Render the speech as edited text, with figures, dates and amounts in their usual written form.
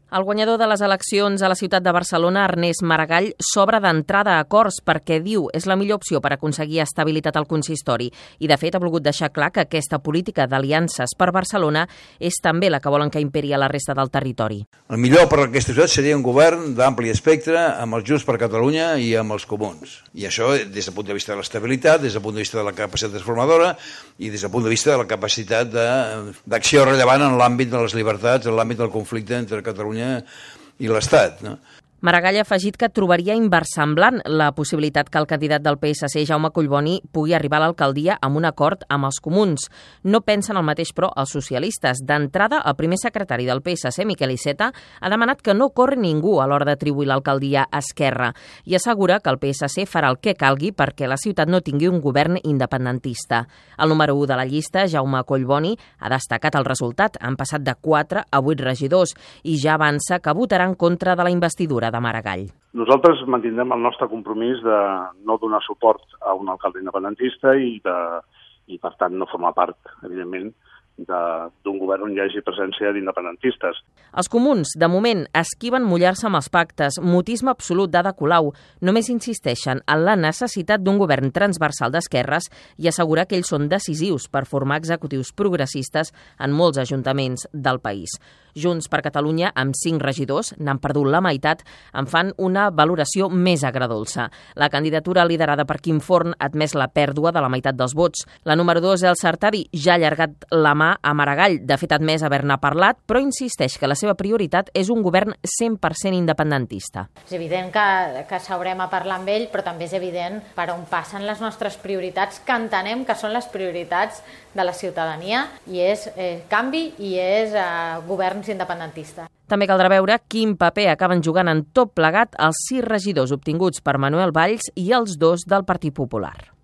El guanyador de les eleccions a la ciutat de Barcelona, Ernest Maragall, s'obre d'entrada a acords perquè diu és la millor opció per aconseguir estabilitat al consistori i, de fet, ha volgut deixar clar que aquesta política d'aliances per Barcelona és també la que volen que imperi a la resta del territori. El millor per a aquesta ciutat seria un govern d'ampli espectre amb els Junts per Catalunya i amb els Comuns. I això des del punt de vista de l'estabilitat, des del punt de vista de la capacitat transformadora i des del punt de vista de la capacitat d'acció rellevant en l'àmbit de les llibertats, en l'àmbit del conflicte entre Catalunya i l'Estat, no? Maragall ha afegit que trobaria inversemblant la possibilitat que el candidat del PSC, Jaume Collboni, pugui arribar a l'alcaldia amb un acord amb els comuns. No pensen el mateix, però, els socialistes. D'entrada, el primer secretari del PSC, Miquel Iceta, ha demanat que no corri ningú a l'hora d'atribuir l'alcaldia a Esquerra i assegura que el PSC farà el que calgui perquè la ciutat no tingui un govern independentista. El número 1 de la llista, Jaume Collboni, ha destacat el resultat. Han passat de 4 a 8 regidors i ja avança que votarà en contra de la investidura de Maragall. Nosaltres mantindrem el nostre compromís de no donar suport a un alcalde independentista i per tant no formar part, evidentment, d'un govern on hi hagi presència d'independentistes. Els comuns, de moment, esquiven mullar-se amb els pactes. Mutisme absolut d'Ada Colau. Només insisteixen en la necessitat d'un govern transversal d'esquerres i assegurar que ells són decisius per formar executius progressistes en molts ajuntaments del país. Junts per Catalunya, amb 5 regidors, n'han perdut la meitat, en fan una valoració més agredolça. La candidatura liderada per Quim Forn ha admès la pèrdua de la meitat dels vots. La número 2, Elsa Artadi, ja ha allargat la mà a Maragall. De fet, ha admès haver-ne parlat, però insisteix que la seva prioritat és un govern 100% independentista. És evident que s'haurem a parlar amb ell, però també és evident per on passen les nostres prioritats, que entenem que són les prioritats de la ciutadania, i és canvi i és governs independentistes. També caldrà veure quin paper acaben jugant en tot plegat els 6 regidors obtinguts per Manuel Valls i els 2 del Partit Popular.